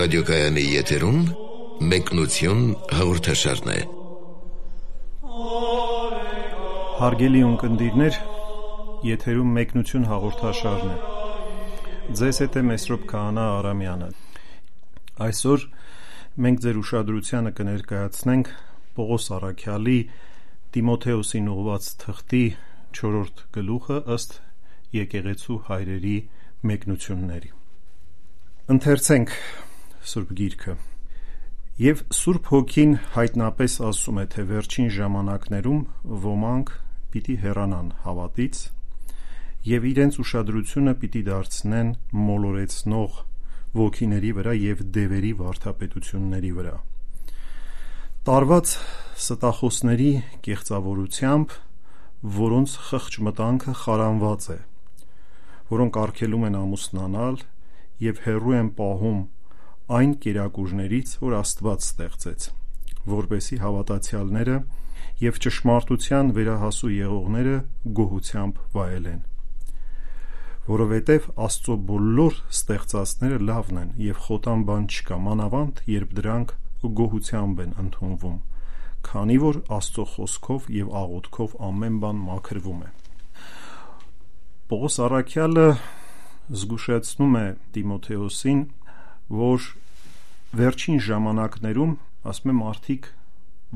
ռադիոկայանի եթերում մեկնություն հաղորդաշարն է։ Հարգելի ունկնդիրներ, եթերում մեկնություն հաղորդաշարն է։ Ձեզ հետ է Մեսրոպ Քահանա Արամյանը։ Այսօր մենք ձեր ուշադրությանը կներկայացնենք Պողոս Առաքյալի Տիմոթեոսին ուղղված թղթի 4-րդ գլուխը ըստ եկեղեցու հայրերի մեկնությունների։ Ընթերցենք Սուրբ Գիրքը։ Եվ Սուրբ Հոգին հայտնապես ասում է, թե վերջին ժամանակներում ոմանք պիտի հեռանան հավատից և իրենց ուշադրությունը պիտի դարձնեն մոլորեցնող ոգիների վրա և դևերի վարդապետությունների վրա, տարված ստախոսների կեղծավորությամբ, որոնց խղճ մտանքը խարանված է, որոնք արգելում են ամուսնանալ և հեռու են պահում այն կերակուրներից, որ Աստված ստեղծեց, որպեսզի հավատացյալները և ճշմարտության վերահասու եղողները գոհությամբ վայելեն, որովհետև Աստծո բոլոր ստեղծածները լավն են և խոտան բան չկա, մանավանդ երբ դրանք գոհությամբ են ընդունվում, քանի որ Աստծո խոսքով և աղոթքով ամեն բան մաքրվում է։ Պողոս Առաքյալը զգուշացնում է Տիմոթեոսին, որ վերջին ժամանակներում, ասում է, մարդիկ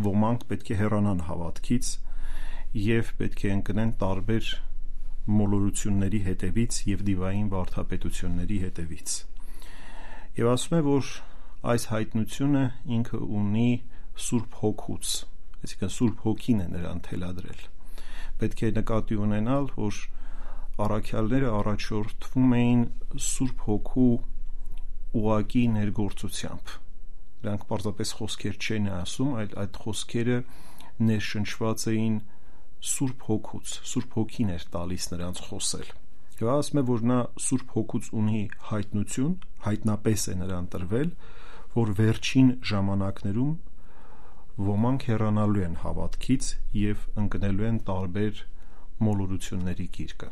ոմանք պետք է հեռանան հավատքից և պետք է ընկնեն տարբեր մոլորությունների հետևից և դիվային վարդապետությունների հետևից։ Եվ ասում է, որ այս հայտնությունը ինքը ունի Սուրբ Հոգուց, այսինքն Սուրբ Հոգին է նրան թելադրել։ Պետք է նկատի ունենալ, որ առաքյալները առաջորդվում էին Սուրբ Հոգու ուղղակի ներգործությամբ։ Նրանք պարզապես խոսքեր չեն ասում, այլ այդ խոսքերը ներշնչված էին Սուրբ Հոգուց, Սուրբ Հոգին էր տալիս նրանց խոսել։ Եվ ասում է, որ նա Սուրբ Հոգուց ունի հայտնություն, հայտնապես է նրան տրվել, որ վերջին ժամանակներում ոմանք հեռանալու են հավատքից և ընկնելու են տարբեր մոլորությունների գիրկը։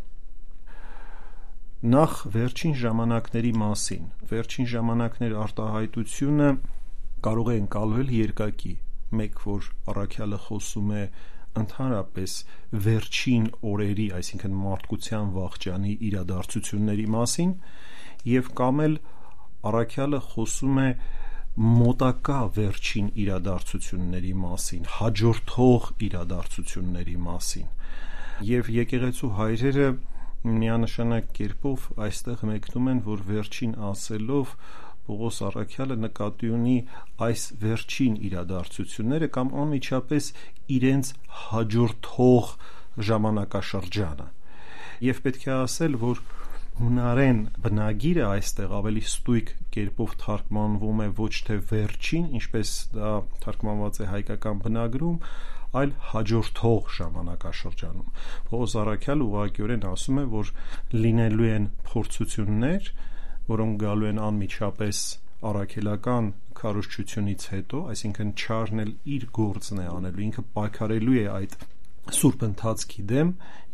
Նախ վերջին ժամանակների մասին։ Վերջին ժամանակներ արտահայտությունը կարող է ընկալվել երկակի, մեկ որ առաքյալը խոսում է ընդհանրապես վերջին օրերի, այսինքն մարդկության վախճանի իրադարձությունների մասին, և կամ էլ առաքյալը խոսում է մոտակա վերջին իրադարձությունների մասին, հաջորդող իրադարձությունների մասին։ Եվ եկեղեցու հայրերը միանշանակ կերպով այստեղ մեկնում են, որ վերջին ասելով Պողոս Առաքյալը նկատի ունի այս վերջին իրադարձությունները կամ անմիջապես իրենց հաջորդող ժամանակաշրջանը։ Եվ պետք է ասել, որ հունարեն բնագիրը այստեղ ավելի ստույգ կերպով թարգմանվում է ոչ թե վերջին, ինչպես դա թարգմանված է հայկական բնագրում, այլ հաջորդող ժամանակաշրջանում։ Պողոս Առաքյալը ուղղակիորեն ասում է, որ լինելու են փորձություններ, որոնք գալու են անմիջապես առաքելական քարոզչությունից հետո, այսինքն չարն էլ իր գործն է անելու, ինքը պայքարելու է այդ սուրբ ընթացքի դեմ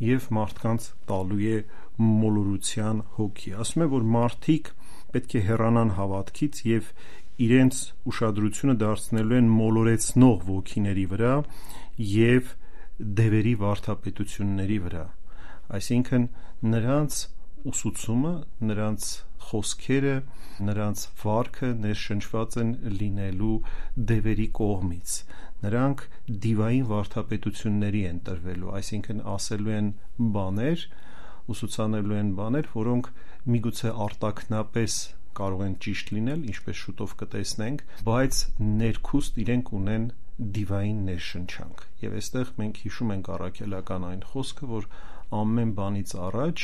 և մարդկանց տալու է մոլորության հոգի։ Ասում է, որ մարդիկ պետք է հեռանան հավատքից և իրենց ուշադրությունը դարձնելու են մոլորեցնող ոգիների վրա և դևերի վարդապետությունների վրա, այսինքն նրանց ուսուցումը, նրանց խոսքերը, նրանց վարքը ներշնչված են լինելու դևերի կողմից։ Նրանք դիվային վարդապետությունների են տրվելու, այսինքն ասելու են բաներ, ուսուցանելու են բաներ, որոնք միգուցե արտաքնապես կարող են ճիշտ լինել, ինչպես շուտով կտեսնենք, բայց ներքուստ իրենք ունեն դիվային ներշնչանք։ Եվ այստեղ մենք հիշում ենք առաքելական այն խոսքը, որ ամեն բանից առաջ,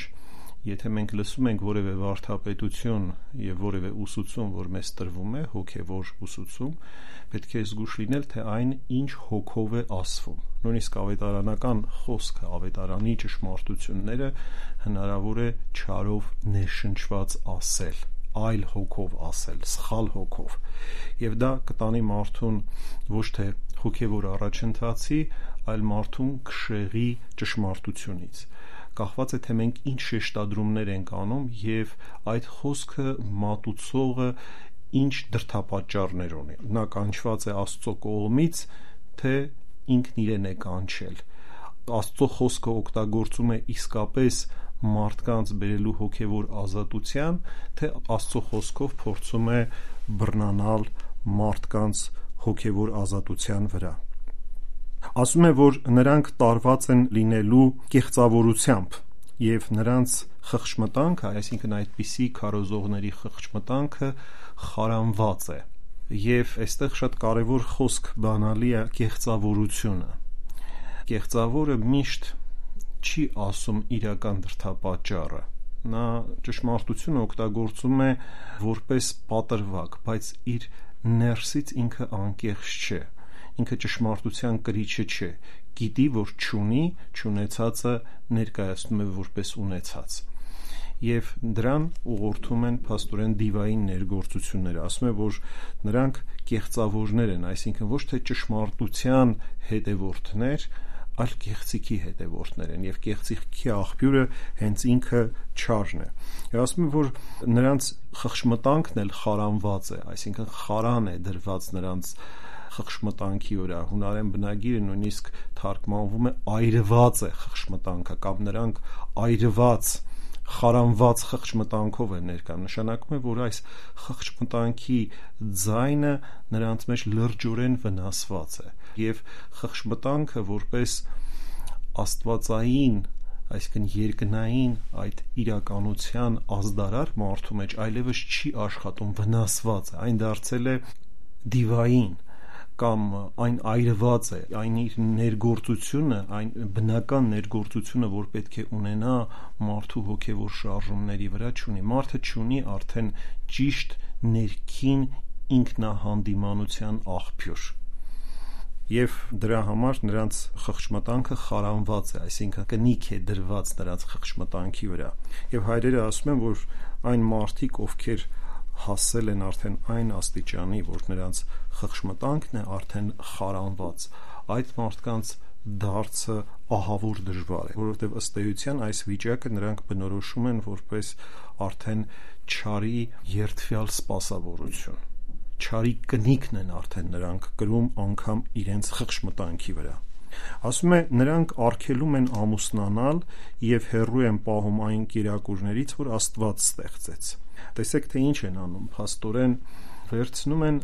եթե մենք լսում ենք որևէ վարդապետություն և որևէ ուսուցում, որ մեզ տրվում է, հոգևոր ուսուցում, պետք է զգույշ լինել, թե այն ինչ հոգով է ասվում։ Նույնիսկ ավետարանական խոսքը, ավետարանի ճշմարտությունները հնարավոր է չարով ներշնչված ասել, այլ հոգով ասել, սխալ հոգով։ Եվ դա կտանի մարդուն ոչ թե հոգևոր առաջընթացի, այլ մարդուն քշեղի ճշմարտությունից։ Կախված է, թե մենք ինչ շեշտադրումներ ենք անում և այդ խոսքը մատուցողը ինչ դրդապատճառներ ունի։ Նա կանչված է Աստծո կողմից, թե ինքն իրեն է կանչել։ Աստծո խոսքը օգտագործում է իսկապես մարդկանց բերելու հոգևոր ազատության, թե Աստծո խոսքով փորձում է բռնանալ մարդկանց հոգևոր ազատության վրա։ Ասում է, որ նրանք տարված են լինելու կեղծավորությամբ, եւ նրանց խղճմտանքը, այսինքն այդպիսի քարոզողների խղճմտանքը խարանված է։ Եվ այստեղ շատ կարևոր խոսք բանալի է կեղծավորությունը։ Կեղծավորը միշտ չի ասում իրական դրդապատճառը։ Նա ճշմարտությունը օգտագործում է որպես պատրվակ, բայց իր ներսից ինքը անկեղծ չէ։ Ինքը ճշմարտության կրիչը չէ։ Գիտի, որ չունեցածը ներկայացնում է որպես ունեցած։ Եվ դրան ուղղորդում են փաստորեն դիվային ներգործությունները։ Ասում է, որ նրանք կեղծավորներ են, այսինքն ոչ թե ճշմարտության հետևորդներ, այլ կեղծիքի հետևորդներ են, եւ կեղծիքի աղբյուրը հենց ինքը չարն է։ Եվ ասում է, որ նրանց խղճմտանքն էլ խարանված է, այսինքն խարան է դրված նրանց խղճմտանքի վրա։ Հունարեն բնագիրը նույնիսկ թարգմանվում է այրված է խղճմտանքը, կամ նրանք այրված, խարանված խղճմտանքով են ներկայանում։ Նշանակում է, որ այս խղճմտանքի ձայնը նրանց մեջ լրջորեն վնասված է, եւ խղճմտանքը որպես աստվածային, այսինքն երկնային այդ իրականության ազդարար մարդու մեջ այլևս չի աշխատում, վնասված է, այն դարձել է դիվային, կամ այն այրված է, այն իր ներգործությունը, այն բնական ներգործությունը, որ պետք է ունենա մարդու հոգևոր շարժումների վրա, չունի։ Մարդը չունի արդեն ճիշտ ներքին ինքնահանդիմանության աղբյուր։ Եվ դրա համար նրանց խղճմտանքը խարանված է, այսինքն կնիք է դրված նրանց խղճմտանքի վրա։ Եվ հայրերը ասում են, որ այն մարդիկ, ովքեր հասել են արդեն այն աստիճանի, որ նրանց խղճմտանքն է արդեն խարանված, այդ մարդկանց դարձը ահավոր դժվար է, որովհետև ըստ էության այս վիճակը նրանք բնորոշում են որպես արդեն չարի երդվյալ սպասավորություն։ Չարի կնիքն են արդեն նրանք կրում անգամ իրենց խղճմտանքի վրա։ Ասում է, նրանք արգելում են ամուսնանալ եւ հեռու են պահում այն կերակուրներից, որ Աստված ստեղծեց։ Տեսեք, թե ինչ են անում, փաստորեն վերցնում են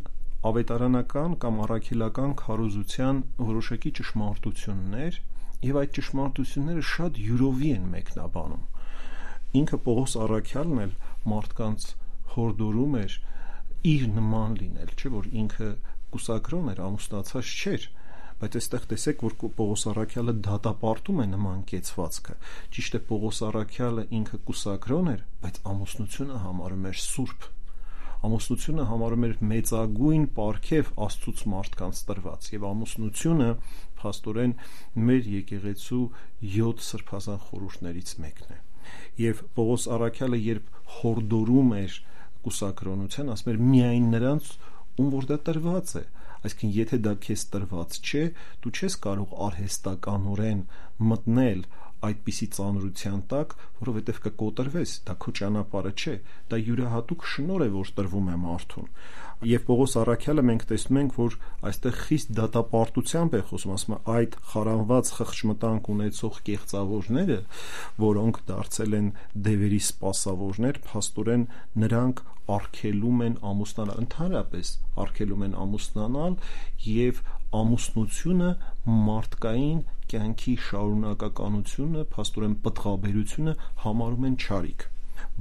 ավետարանական կամ առաքելական քարոզության որոշակի ճշմարտություններ եւ այդ ճշմարտությունները շատ յուրովի են մեկնաբանում։ Ինքը Պողոս առաքյալն էլ մարդկանց հորդորում էր իր նման լինել, չէ՞ որ ինքը կուսակրոն էր, ամուսնացած չէր, բայց այստեղ տեսեք, որ Պողոս առաքյալը դատապարտում է նման կեցվածքը։ Ճիշտ է, Պողոս առաքյալը ինքը կուսակրոն էր, բայց ամուսնությունը համարում էր սուրբ։ Ամուսնությունը համարում էր մեծագույն պարգև Աստծուց մարդկանց տրված, եւ ամուսնությունը փաստորեն մեր եկեղեցու 7 սրբազան խորհուրդներից մեկն է։ Եվ Պողոս առաքյալը երբ հորդորում էր կուսակրոնության, ասում էր միայն նրանց, ում որ դա տրված է, այսինքն եթե դա քեզ տրված չէ, դու չես կարող արհեստականորեն մտնել այդպիսի ծանրության տակ, որովհետև կկոտրվես, դա քո ճանապարհը չէ, դա յուրահատուկ շնորհ է, որ տրվում է մարդուն։ Եվ Պողոս առաքյալը մենք տեսնում ենք, որ այստեղ խիստ դատապարտությամբ է խոսում, ասում է այդ խարանված խղճմտանք ունեցող կեղծավորները, որոնք դարձել են դևերի սպասավորներ, փաստորեն նրանք արգելում են ամուսնանալ, ընդհանրապես արգելում են ամուսնանալ եւ ամուսնությունը մարդկային կյանքի շարունակականությունը, փաստորեն պտղաբերությունը համարում են չարիք։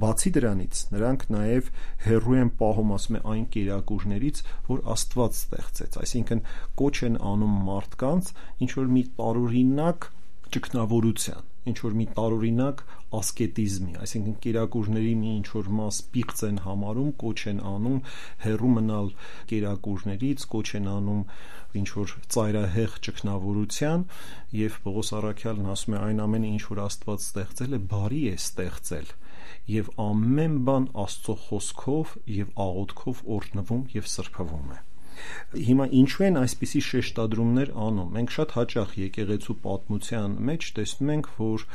Բացի դրանից նրանք նաև հեռու են պահում, ասում է, այն կերակուրներից, որ Աստված ստեղծեց, այսինքն կոչ են անում մարդկանց ինչ որ մի տարօրինակ ճգնավորության, ինչ որ մի տարօրինակ ասկետիզմի, այսինքն կերակուրների մի ինչ որ մաս պիղծ են համարում, կոչ են անում հեռու մնալ կերակուրներից, կոչ են անում ինչ որ ծայրահեղ ճգնավորության, եւ Պողոս առաքյալն ասում է այն ամենը ինչ որ Աստված ստեղծել է, բարի է ստեղծել, եւ ամեն բան Աստծո խոսքով եւ աղոթքով օրհնվում եւ սրբվում է։ Հիմա ինչու են այսպիսի շեշտադրումներ անում։ Մենք շատ հաճախ եկեղեցու պատմության մեջ տեսնում ենք, որ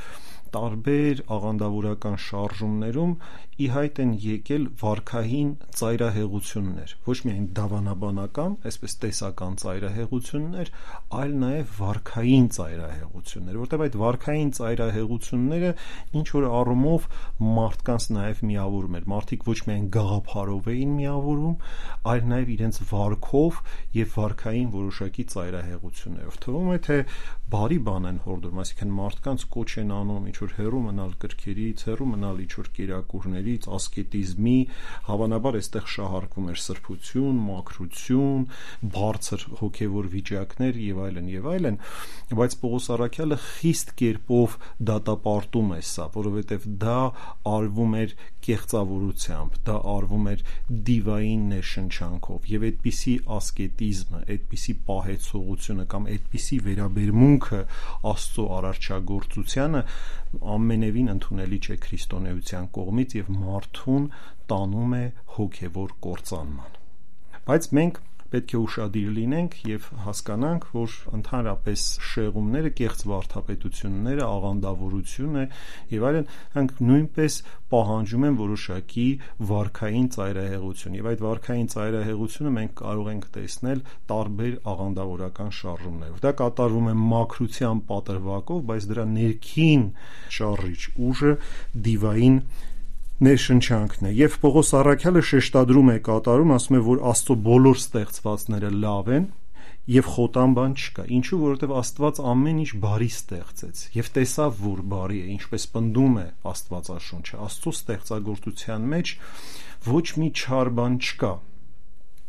տարբեր աղանդավորական շարժումներում ի հայտ են եկել վարքային ծայրահեղություններ, ոչ միայն դավանաբանական, այսպես տեսական ծայրահեղություններ, այլ նաև վարքային ծայրահեղություններ, որտեղ այդ վարքային ծայրահեղությունները ինչ որ առումով մարդկանց նաև միավորում էր, մարդիկ ոչ միայն գաղափարով էին միավորում, այլ նաև իրենց վարքով եւ վարքային որոշակի ծայրահեղություններով։ Թվում է, թե բարի բան են հորդորում, այսինքն մարդկանց կոչ են անում ինչ որ հեռու մնալ կրքերից, հեռու մնալ ինչ որ կերակուրներից, ասկետիզմի, հավանաբար այստեղ շահարկվում էր սրբություն, մաքրություն, բարձր հոգևոր վիճակներ եւ այլն, բայց Պողոս առաքյալը խիստ կերպով դատապարտում է սա, որովհետեւ դա արվում էր կեղծավորությամբ, դա արվում էր դիվային ներշնչանքով եւ այդպիսի ասկետիզմը, այդպիսի պահեցողությունը կամ այդպիսի վերաբերմունքը Աստծո արարչագործությանը ամենևին ընդունելի չէ քրիստոնեության կողմից եւ մարդուն տանում է հոգևոր կործանման։ Բայց մենք պետք է ուշադիր լինենք եւ հասկանանք, որ ընդհանրապես շեղումները, կեղծ վարդապետությունները, աղանդավորությունը եւ այլն, հանք նույնպես պահանջում են որոշակի վարքային ծայրահեղություն եւ այդ վարքային ծայրահեղությունը մենք կարող ենք տեսնել տարբեր աղանդավորական շարժումներով։ Դա կատարվում է մաքրության պատրվակով, բայց դրա ներքին շարժիչ ուժը դիվային ներշնչանքն է եւ Պողոս առաքյալը շեշտադրում է կատարում, ասում է, որ Աստծո բոլոր ստեղծվածները լավ են եւ խոտան բան չկա, ինչու, որովհետեւ Աստված ամեն ինչ բարի ստեղծեց եւ տեսավ, որ բարի է, ինչպես պնդում է Աստվածաշունչը, Աստծո ստեղծագործության մեջ ոչ մի չար բան չկա։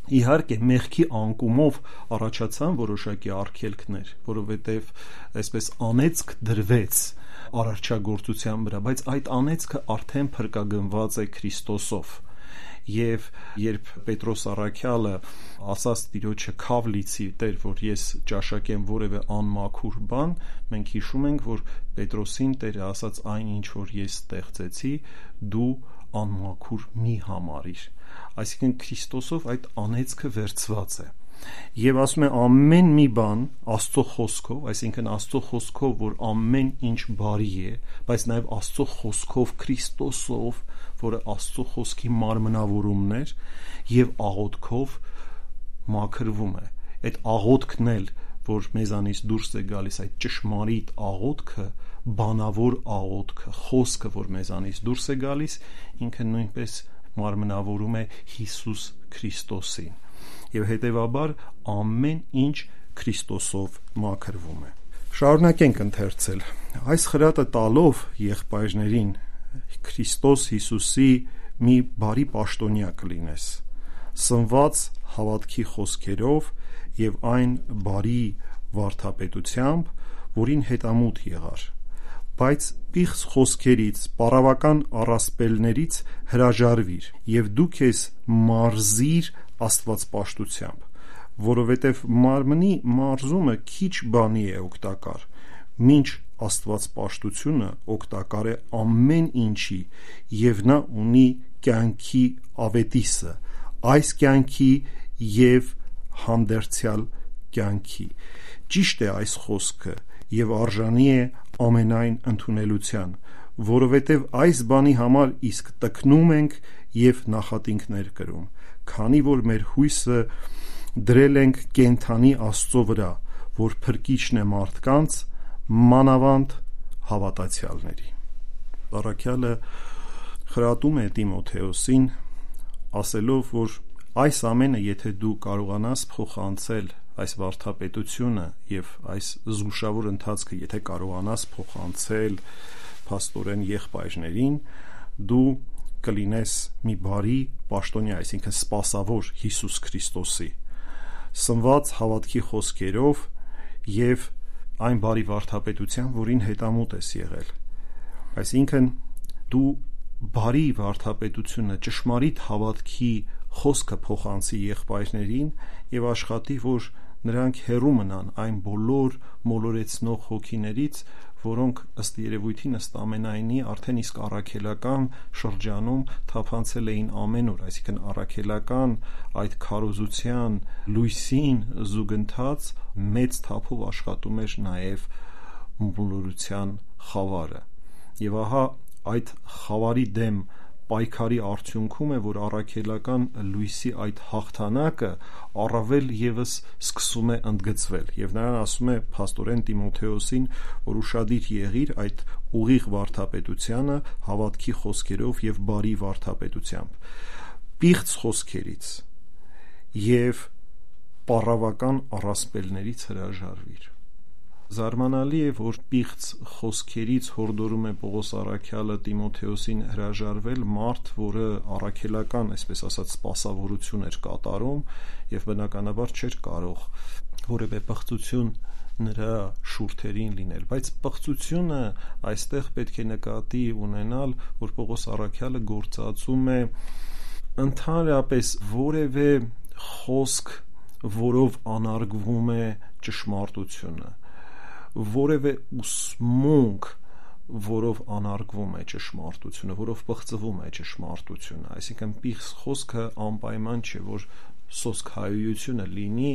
Իհարկե մեղքի անկումով առաջացան որոշակի արգելքներ, որովհետև այսպես անեծք դրվեց արարչագործության վրա, բայց այդ անեծքը արդեն փրկագնված է Քրիստոսով։ Եվ երբ Պետրոս առաքյալը ասաց Տիրոջը քավ լիցի Տեր, որ ես ճաշակեմ որևէ անմաքուր բան, մենք հիշում ենք, որ Պետրոսին Տերը ասաց այն ինչ որ ես ստեղծեցի, դու անմաքուր մի համարիր։ Այսինքն Քրիստոսով այդ անեծքը վերցված է։ Եվ ասում է ամեն մի բան Աստծո խոսքով, այսինքն Աստծո խոսքով, որ ամեն ինչ բարի է, բայց նաև Աստծո խոսքով Քրիստոսով, որը Աստծո խոսքի մարմնավորումն էր, եւ աղոթքով մաքրվում է։ Այդ աղոթքն էլ, որ մեզանից դուրս է գալիս, այդ ճշմարիտ աղոթքը, բանավոր աղոթքը, խոսքը, որ մեզանից դուրս է գալիս, ինքը նույնպես մարմնավորում է Հիսուս Քրիստոսին եւ հետեւաբար ամեն ինչ Քրիստոսով մաքրվում է։ Շարունակենք ընթերցել։ Այս խրատը տալով եղբայրներին Քրիստոս Հիսուսի մի բարի պաշտոնյա կլինես, սնված հավատքի խոսքերով եւ այն բարի վարդապետությամբ, որին հետամուտ եղար, բայց պիղծ խոսքերից, պարավական առասպելներից հրաժարվիր եւ դու քեզ մարզիր Աստվածպաշտությամբ, որովհետև մարմնի մարզումը քիչ բանի է օգտակար, մինչ Աստվածպաշտությունը օգտակար է ամեն ինչի եւ նա ունի կյանքի ավետիսը, այս կյանքի եւ հանդերձյալ կյանքի։ Ճիշտ է այս խոսքը եւ արժանի է ամենայն ընդունելության, որովհետև այս բանի համար իսկ տկնում ենք եւ նախատինքներ կրում, քանի որ մեր հույսը դրել ենք կենթանի Աստծո վրա, որ փրկիչն է մարդկանց, մանավանդ հավատացյալների։ Առաքյալը խրատում է Տիմոթեոսին, ասելով, որ այս ամենը եթե դու կարողանաս փոխանցել այս վարդապետությունը եւ այս զգուշավոր ընթացքը եթե կարողանաս փոխանցել փաստորեն եղբայրներին, դու կլինես մի բարի պաշտոնյա, այսինքն սպասավոր Հիսուս Քրիստոսի, սնված հավատքի խոսքերով եւ այն բարի վարդապետության, որին հետամուտ ես եղել։ Այսինքն դու բարի վարդապետությունը, ճշմարիտ հավատքի խոսքը փոխանցի եղբայրներին եւ աշխատի, որ նրանք հեռու մնան այն բոլոր մոլորեցնող հոգիներից, որոնք ըստ երևույթին ըստ ամենայնի արդեն իսկ առաքելական շրջանում թափանցել էին ամեն օր, այսինքն առաքելական այդ քարոզության լույսին զուգընթաց մեծ թափով աշխատում էր նաև մոլորության խավարը։ Եվ ահա այդ խավարի դեմ պայքարի արդյունքում է, որ առաքելական լույսի այդ հաղթանակը առավել եւս սկսում է ընդգծվել, եւ նրան ասում է փաստորեն Տիմոթեոսին, որ ուշադիր եղիր այդ ուղիղ վարդապետությանը հավատքի խոսքերով եւ բարի վարդապետությամբ, պիղծ խոսքերից եւ պառավական առասպելներից հրաժարվիր։ Զարմանալի է, որ պիղծ խոսքերից հորդորում է Պողոս առաքյալը Տիմոթեոսին հրաժարվել մարդ, որը առաքելական, այսպես ասած, սպասավորություն էր կատարում եւ բնականաբար չէր կարող որևէ պղծություն նրա շուրթերին լինել, բայց պղծությունը այստեղ պետք է նկատի ունենալ, որ Պողոս առաքյալը գործածում է ընդհանրապես որևէ խոսք, որով անարգվում է ճշմարտությունը, որևէ ուսմունք, որով անարգվում է ճշմարտությունը, որով պղծվում է ճշմարտությունը, այսինքն պիղծ խոսքը անպայման չէ, որ սոսկ հայությունը լինի,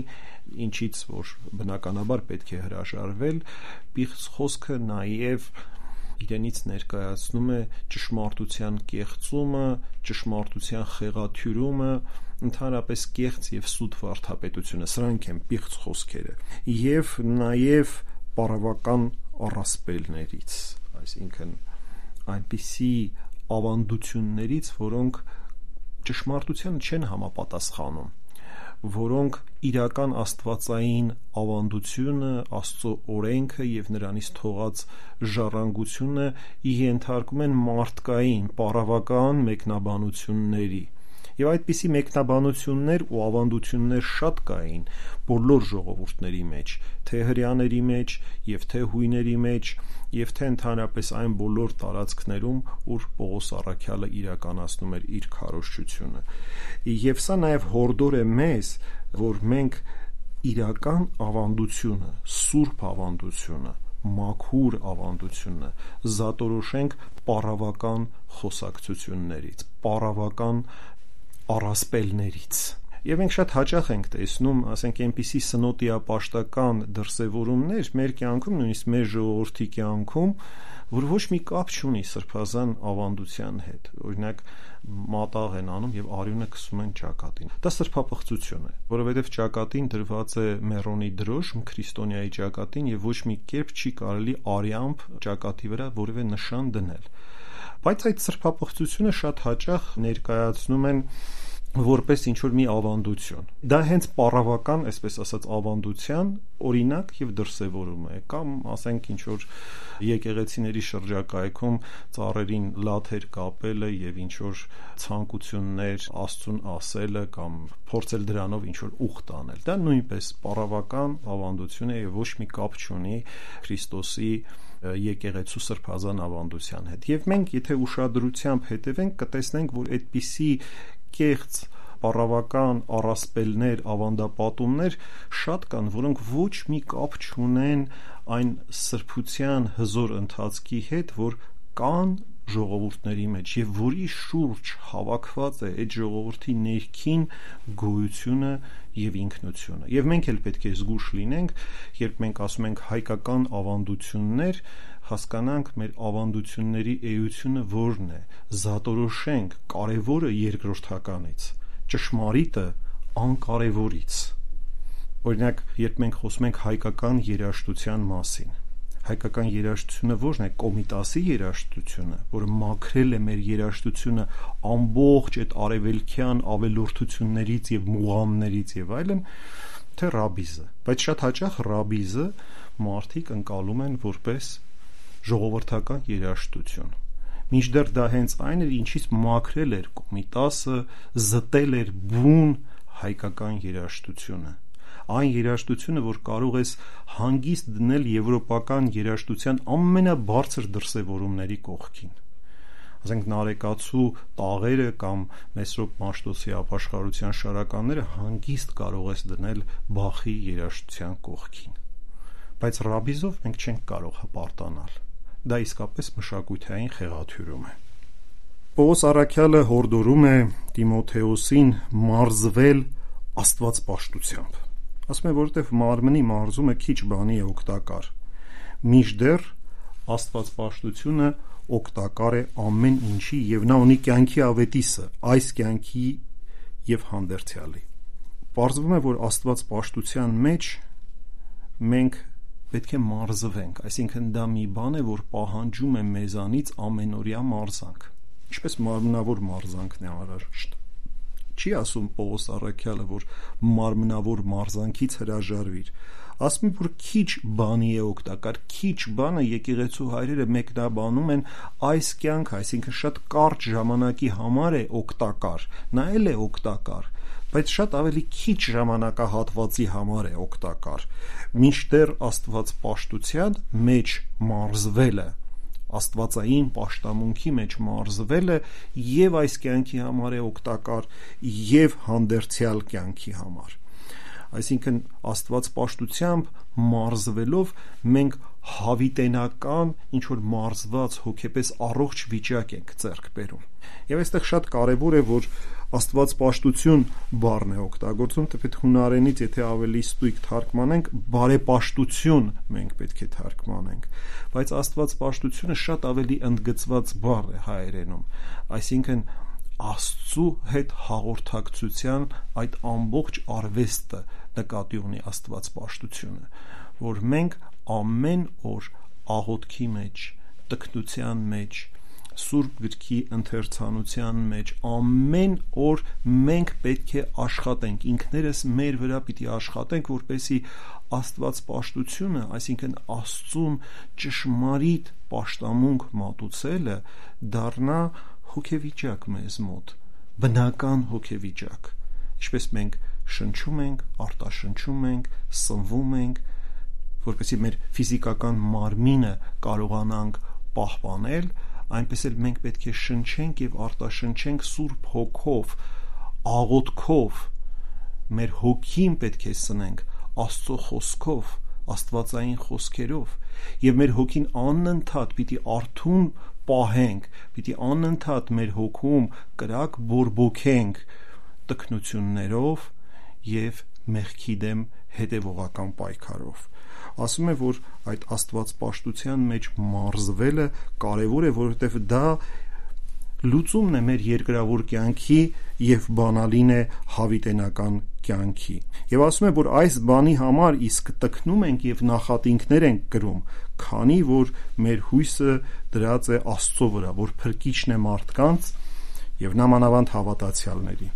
ինչից որ բնականաբար պետք է հրաժարվել, պիղծ խոսքը նաև իրենից ներկայացնում է ճշմարտության կեղծումը, ճշմարտության խեղաթյուրումը, ընդհանրապես կեղծ եւ սուտ վարդապետությունը, սրանք են պիղծ խոսքերը, եւ նաև պառավական առասպելներից, այսինքն այնպիսի ավանդություններից, որոնք ճշմարտությանը չեն համապատասխանում, որոնք իրական աստվածային ավանդությունը, Աստծո օրենքը եւ նրանից թողած ժառանգությունը ենթարկում են մարդկային, պառավական մեկնաբանությունների։ Եվ այդպիսի մեկնաբանություններ ու ավանդություններ շատ կային բոլոր ժողովուրդների մեջ, թե հրեաների մեջ, եւ թե հույների մեջ, եւ թե ընդհանրապես այն բոլոր տարածքներում, ուր Պողոս առաքյալը իրականացնում էր իր քարոզչությունը։ Եվ սա նաեւ հորդոր է մեզ, որ մենք իրական ավանդությունը, սուրբ ավանդությունը, մաքուր ավանդությունը զատորոշենք պառավական խոսակցություններից, պառավական առասպելներից։ Եվ մենք շատ հաճախ ենք տեսնում, ասենք, այնպիսի սնոտիապաշտական դրսևորումներ մեր կյանքում, նույնիսկ մեր ժողովրդի կյանքում, որ ոչ մի կապ չունի սրբազան ավանդության հետ։ Օրինակ, մատաղ են անում եւ արյունը քսում են ճակատին։ Դա սրբապղծություն է, որովհետեւ ճակատին դրված է մեռոնի դրոշմ, քրիստոնյայի ճակատին, եւ ոչ մի կերպ չի կարելի արյամբ ճակատի վրա որևէ նշան դնել։ Բայց այդ սրբապղծությունը շատ հաճախ ներկայացնում են որպես ինչ-որ մի ավանդություն։ Դա հենց պառավական, այսպես ասած, ավանդության օրինակ եւ դրսեւորում է, կամ ասենք ինչ-որ եկեղեցիների շրջակայքում ծառերին լաթեր կապելը եւ ինչ-որ ցանկություններ Աստծուն ասելը կամ փորձել դրանով ինչ-որ ուխտ անել։ Դա նույնպես պառավական ավանդություն է եւ ոչ մի կապ չունի Քրիստոսի եկեղեցու սրբազան ավանդության հետ։ Եվ մենք, եթե ուշադրությամբ հետևենք, կտեսնենք, որ այդպիսի կեղծ պառավական առասպելներ, ավանդապատումներ շատ կան, որոնք ոչ մի կապ չունեն այն սրբության հզոր ընթացքի հետ, որ կան ժողովուրդների մեջ եւ որի շուրջ հավաքված է այդ ժողովրդի ներքին գոյությունը եւ ինքնությունը։ Եվ մենք էլ պետք է զգուշ լինենք, երբ մենք ասում ենք հայկական ավանդություններ, հասկանանք մեր ավանդությունների էությունը որն է, զատորոշենք կարևորը երկրորդականից, ճշմարիտը անկարևորից։ Օրինակ, երբ մենք խոսում ենք հայկական երաժշտության մասին, հայկական երաժշտությունը ո՞րն է, Կոմիտասի երաժշտությունը, որը մաքրել է մեր երաժշտությունը ամբողջ այդ արևելքյան ավելորդություններից եւ մուղամներից եւ այլն, թե ռաբիզը։ Բայց շատ հաճախ ռաբիզը մարդիկ ընկալում են որպես ժողովրդական երաժշտություն։ Մինչդեռ դա հենց այն էր, ինչից մաքրել էր Կոմիտասը, զտել էր բուն հայկական երաժշտությունը։ Այն երաժշտությունը, որ կարող ես հանգիստ դնել եվրոպական երաժշտության ամենաբարձր դրսևորումների կողքին։ Ասենք Նարեկացու տաղերը կամ Մեսրոպ Մաշտոցի ապաշխարության շարականները հանգիստ կարող ես դնել Բախի երաժշտության կողքին։ Բայց ռաբիզով մենք չենք կարող հպարտանալ։ Դա իսկապես մշակութային խեղաթյուրում է։ Պողոս առաքյալը հորդորում է Տիմոթեոսին մարզվել աստվածպաշտությամբ։ Ասում է, որովհետև մարմնի մարզումը քիչ բանի է օգտակար, մինչդեռ աստվածպաշտությունը օգտակար է ամեն ինչի եւ նա ունի կյանքի ավետիսը, այս կյանքի եւ հանդերձյալի։ Պարզվում է, որ Աստված պաշտության մեջ մենք պետք է մարզվենք, այսինքն դա մի բան է, որ պահանջում է մեզանից ամենօրյա մարզանք, ինչպես մարմնավոր մարզանքն է անհրաժեշտ։ Չի ասում Պողոս առաքյալը, որ մարմնավոր մարզանքից հրաժարվիր, ասում է, որ քիչ բանի է օգտակար, քիչ բանը եկեղեցու հայրերը մեկնաբանում են այս կյանքը, այսինքն շատ կարճ ժամանակի համար է օգտակար, նա էլ է օգտակար, բայց շատ ավելի քիչ ժամանակահատվածի համար է օգտակար, մինչդեռ Աստված պաշտության մեջ մարզվելը, աստվածային պաշտամունքի մեջ մարզվելը եւ այս կյանքի համար է օգտակար եւ հանդերձյալ կյանքի համար։ Այսինքն Աստված պաշտությամբ մարզվելով մենք հավիտենական ինչ-որ մարզված հոգեպես առողջ վիճակ ենք ձեռք բերում։ Եվ այստեղ շատ կարևոր է, որ Աստված պաշտություն բառն է օգտագործում, թեպետ հունարենից եթե ավելի ստույգ թարգմանենք, բարեպաշտություն մենք պետք է թարգմանենք, բայց Աստված պաշտությունը շատ ավելի ընդգծված բառ է հայերենում, այսինքն Աստծու հետ հաղորդակցության այդ ամբողջ արվեստը նկատի ունի Աստված պաշտությունը, որ մենք ամեն օր աղոթքի մեջ, տքնության մեջ, Սուրբ գրքի ընթերցանության մեջ ամեն օր մենք պետք է աշխատենք, ինքներս մեր վրա պիտի աշխատենք, որպեսզի Աստված պաշտությունը, այսինքն Աստծուն ճշմարիտ պաշտամունք մատուցելը դառնա հոգեվիճակ մեզ մոտ, բնական հոգեվիճակ, ինչպես մենք շնչում ենք, արտաշնչում ենք, սնվում ենք, որպեսզի մեր ֆիզիկական մարմինը կարողանանք պահպանել, այնպես էլ մենք պետք է շնչենք եւ արտաշնչենք Սուրբ Հոգով, աղոթքով, մեր հոգին պետք է սնենք Աստծո խոսքով, աստվածային խոսքերով, եւ մեր հոգին անընդհատ պիտի արթուն պահենք, պիտի անընդհատ մեր հոգում կրակ բորբոքենք տքնություններով եւ մեղքի դեմ հետեւողական պայքարով։ Ասում է, որ այդ աստվածպաշտության մեջ մարզվելը կարևոր է, որովհետև դա լուծումն է մեր երկրավոր կյանքի եւ բանալին է հավիտենական կյանքի։ Եվ ասում է, որ այս բանի համար իսկ տքնում ենք եւ նախատինքներ ենք կրում, քանի որ մեր հույսը դրած է Աստծո վրա, որ փրկիչն է մարդկանց եւ նամանավանդ հավատացյալների։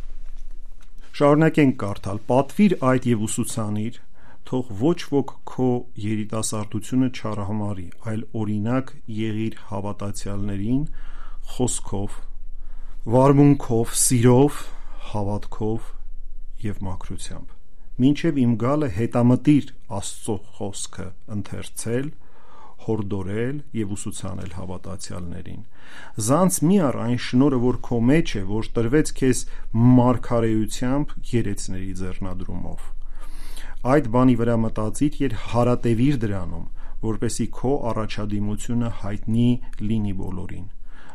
Շարունակենք կարդալ. «Պատվիր այդ եւ ուսուցանիր, թող ոչ ոք քո երիտասարդությունը չարհամարի, այլ օրինակ եղիր հավատացյալներին խոսքով, վարմունքով, սիրով, հավատքով եւ մաքրությամբ։ Մինչեւ իմ գալը հետամտիր Աստծո խոսքը ընթերցել, հորդորել եւ ուսուցանել հավատացյալներին։ Զանց մի առ այն շնորհը, որ քո մեջ է, որ տրվեց քեզ մարգարեությամբ երեցների ձեռնադրումով։ Այդ բանի վրա մտածիր եւ հարատևիր դրանում, որպեսի քո առաջադիմությունը հայտնի լինի բոլորին։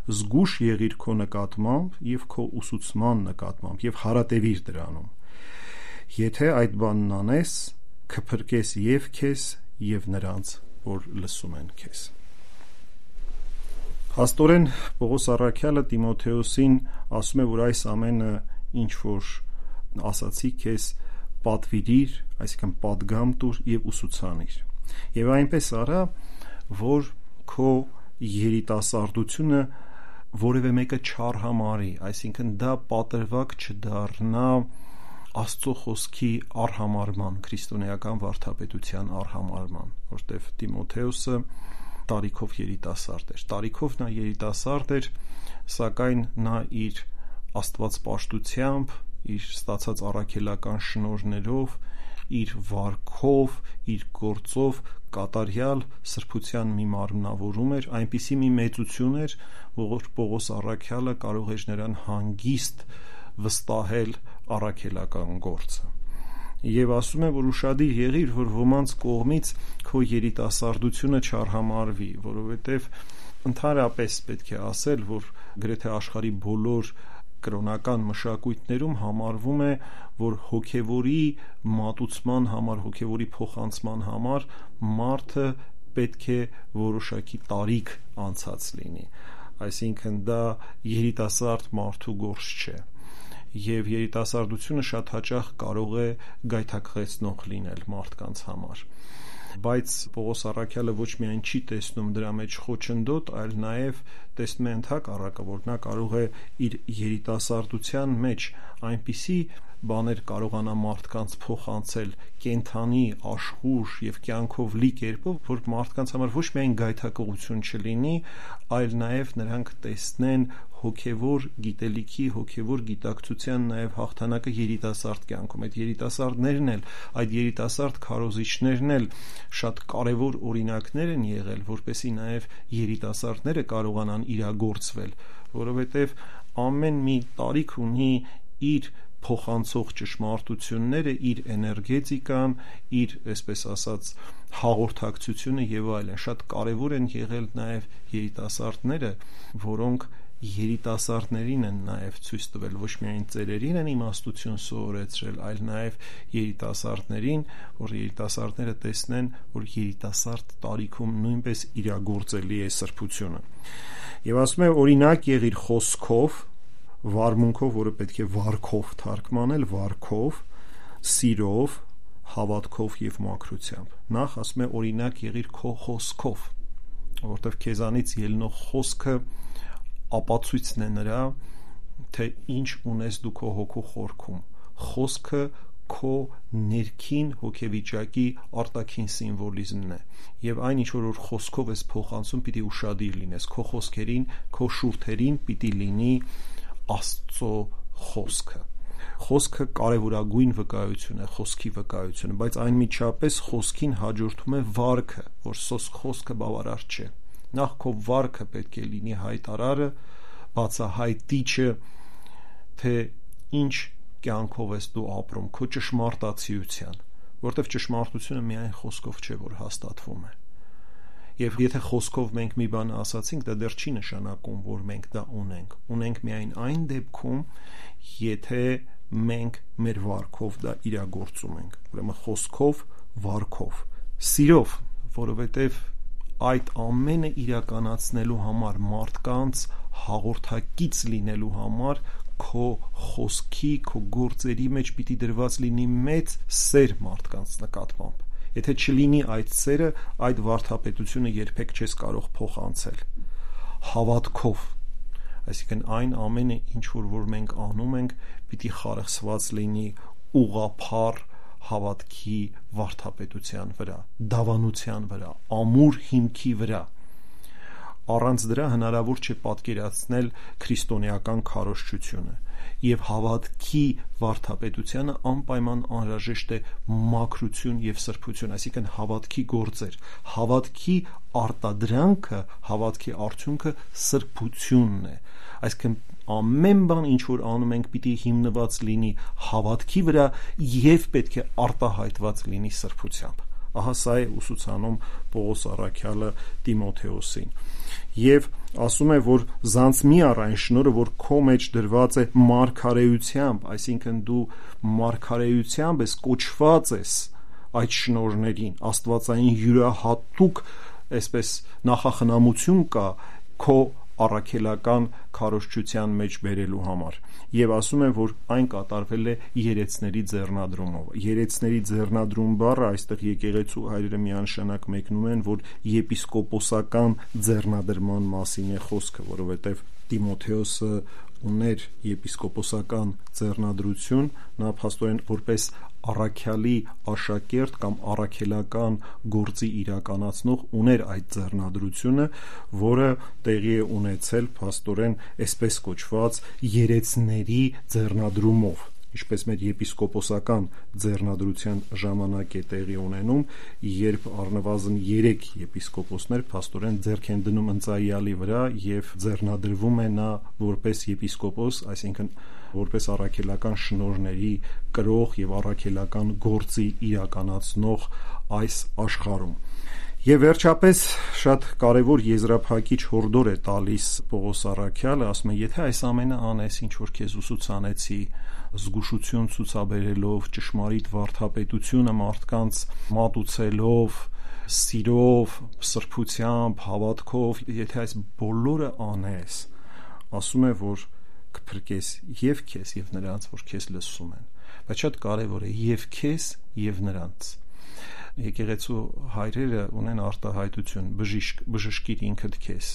Զգուշ եղիր քո նկատմամբ եւ քո ուսուցման նկատմամբ եւ հարատևիր դրանում։ Եթե այդ բանն անես, կփրկես եւ քեզ եւ նրանց, որ լսում են քեզ»։ Փաստորեն Պողոս առաքյալը Տիմոթեոսին ասում է, որ այս ամենը ինչ որ ասացի քեզ պատվիրիր, այսինքն պատգամ տուր եւ ուսուցանիր։ Եվ այնպես արա, որ քո երիտասարդությունը որևէ մեկը չարհամարի, այսինքն դա պատրվակ չդառնա Աստծո խոսքի արհամարման, քրիստոնեական վարդապետության արհամարման, որտեղ Տիմոթեոսը տարիքով երիտասարդ էր։ Տարիքով նա երիտասարդ էր, սակայն նա իր աստվածպաշտությամբ, իր ստացած առաքելական շնորհներով, իր վարքով, իր գործով կատարյալ սրբության մի մարմնավորում էր, այնպիսի մի մեծություն էր, որ Պողոս առաքյալը կարող էր նրան հանգիստ վստահել առաքելական գործը։ Եվ ասում է, որ ուշադիր եղիր, որ ոմանց կողմից քո երիտասարդությունը չարհամարվի, որովհետև ընդհանրապես պետք է ասել, որ գրեթե աշխարհի բոլոր կրոնական մշակույթներում համարվում է, որ հոգևորի մատուցման համար, հոգևորի փոխանցման համար մարդը պետք է որոշակի տարիք անցած լինի, այսինքն դա երիտասարդ մարդու գործ չէ, եւ երիտասարդությունը շատ հաճախ կարող է գայթակղեցնող լինել մարդկանց համար, բայց Պողոս առաքյալը ոչ միայն չի տեսնում դրա մեջ խոչընդոտ, այլ նաև տեսնում է ընդհակառակը, որ նա կարող է իր երիտասարդության մեջ այնպիսի բաներ կարողանա մարդկանց փոխանցել կենթանի, աշխուժ եւ կյանքով լի կերպով, որ մարդկանց համար ոչ միայն գայթակղություն չլինի, այլ նաև նրանք տեսնեն հոգևոր գիտելիքի, հոգևոր գիտակցության նաև հաղթանակը երիտասարդ կյանքում։ Այդ երիտասարդներն էլ, այդ երիտասարդ քարոզիչներն էլ շատ կարևոր օրինակներ են եղել, որպեսզի նաև երիտասարդները կարողանան իրագործվել, որովհետև ամեն մի տարիք ունի իր փոխանցող ճշմարտությունները, իր էներգետիկան, իր, այսպես ասած, հաղորդակցությունը եւ այլն։ Շատ կարևոր են եղել նաև երիտասարդները, որոնք երիտասարդներին են նաև ցույց տվել, ոչ միայն ծերերին են իմաստություն սովորեցրել, այլ նաև երիտասարդներին, որ երիտասարդները տեսնեն, որ երիտասարդ տարիքում նույնպես իրագործելի է սրբությունը։ Եվ ասում է, օրինակ եղիր խոսքով, վարմունքով, որը պետք է վարքով թարգմանել, վարքով, սիրով, հավատքով եւ մաքրությամբ։ Նախ ասում է, օրինակ եղիր քո խոսքով, որովհետեւ քեզանից ելնող խոսքը ապացույցն է նրա, թե ինչ ունես դու քո հոգու խորքում։ Խոսքը քո ներքին հոգեվիճակի արտաքին սիմվոլիզմն է, եւ այն ինչ որ խոսքով ես փոխանցում, պիտի ուշադիր լինես, քո խոսքերին, քո շուրթերին պիտի լինի Աստծո խոսքը։ Խոսքը կարևորագույն վկայություն է, խոսքի վկայությունը, բայց այնմիջապես խոսքին հաջորդում է վարքը, որ խոսքը բավարար չէ։ Նախ քո վարքը պետք է լինի հայտարարը, բացահայտիչը, թե ինչ կյանքով ես դու ապրում, քո ճշմարտացիության, որտեղ ճշմարտությունը միայն խոսքով չէ, որ հաստատվում է։ Եվ եթե խոսքով մենք մի բան ասացինք, դա դեռ չի նշանակում, որ մենք դա ունենք։ Ունենք միայն այն դեպքում, եթե մենք մեր վարքով դա իրագործում ենք։ Ուրեմն խոսքով, վարքով, սիրով, որովհետև այդ ամենը իրականացնելու համար, մարդկանց հաղորդակից լինելու համար, քո խոսքի, քո գործերի մեջ պիտի դրված լինի մեծ սեր մարդկանց նկատմամբ։ Եթե չլինի այդ սերը, այդ վարդապետությունը երբեք չես կարող փոխանցել։ Հավատքով, այսինքն այն ամենը, ինչ որ մենք անում ենք, պիտի խարխսված լինի ուղղափառ հավատքի վարդապետության վրա, դավանության վրա, ամուր հիմքի վրա։ Առանց դրա հնարավոր չէ պատկերացնել քրիստոնեական քարոզչությունը, եւ հավատքի վարդապետությանը անպայման անհրաժեշտ է մաքրություն եւ սրբություն, այսինքն հավատքի գործեր, հավատքի արտադրանքը, հավատքի արդյունքը սրբությունն է, այսինքն ամեն բան ինչ որ անում ենք պիտի հիմնված լինի հավատքի վրա եւ պետք է արտահայտված լինի սրբությամբ։ Ահա սա է ուսուցանում Պողոս առաքյալը Տիմոթեոսին։ Եվ ասում է, որ զանց մի առ այն շնորհը, որ քո մեջ դրված է մարգարեությամբ, այսինքն դու մարգարեությամբ ես կոչված ես այդ շնորհներին, աստվածային յուրահատուկ, այսպես նախախնամություն կա քո առաքելական քարոզչության մեջ բերելու համար։ Եվ ասում է, որ այն կատարվել է երեցների ձեռնադրումով։ Երեցների ձեռնադրում բառը այստեղ եկեղեցու հայրերը միանշանակ մեկնում են, որ եպիսկոպոսական ձեռնադրման մասին է խոսքը, որովհետև Տիմոթեոսը ուներ եպիսկոպոսական ձեռնադրություն, նա փաստորեն որպես առաքյալի աշակերտ կամ առաքելական գործի իրականացնող ուներ այդ ձեռնադրությունը, որը տեղի է ունեցել փաստորեն այսպես կոչված երեցների ձեռնադրումով, ինչպես մեր եպիսկոպոսական ձեռնադրության ժամանակ է տեղի ունենում, երբ առնվազն 3 եպիսկոպոսներ փաստորեն ձեռք են դնում ընծայյալի վրա եւ ձեռնադրվում է նա որպես եպիսկոպոս, այսինքն որպես առաքելական շնորհների կրող եւ առաքելական գործի իրականացնող այս աշխարհում։ Եվ վերջապես շատ կարևոր եզրափակիչ հորդոր է տալիս Պողոս առաքյալը, ասում է, եթե այս ամենը անես, ինչ որ քեզ ուսուցանեցի, զգուշություն ցուցաբերելով, ճշմարիտ վարդապետությունը մարդկանց մատուցելով, սիրով, սրբությամբ, հավատքով, եթե այս բոլորը անես, ասում է, որ կփրկես եւ քեզ եւ նրանց, որ քեզ լսում են, բայց շատ կարեւոր է եւ քեզ եւ նրանց։ Եկեղեցու հայրերը ունեն արտահայտություն բժշկիր ինքդ քեզ,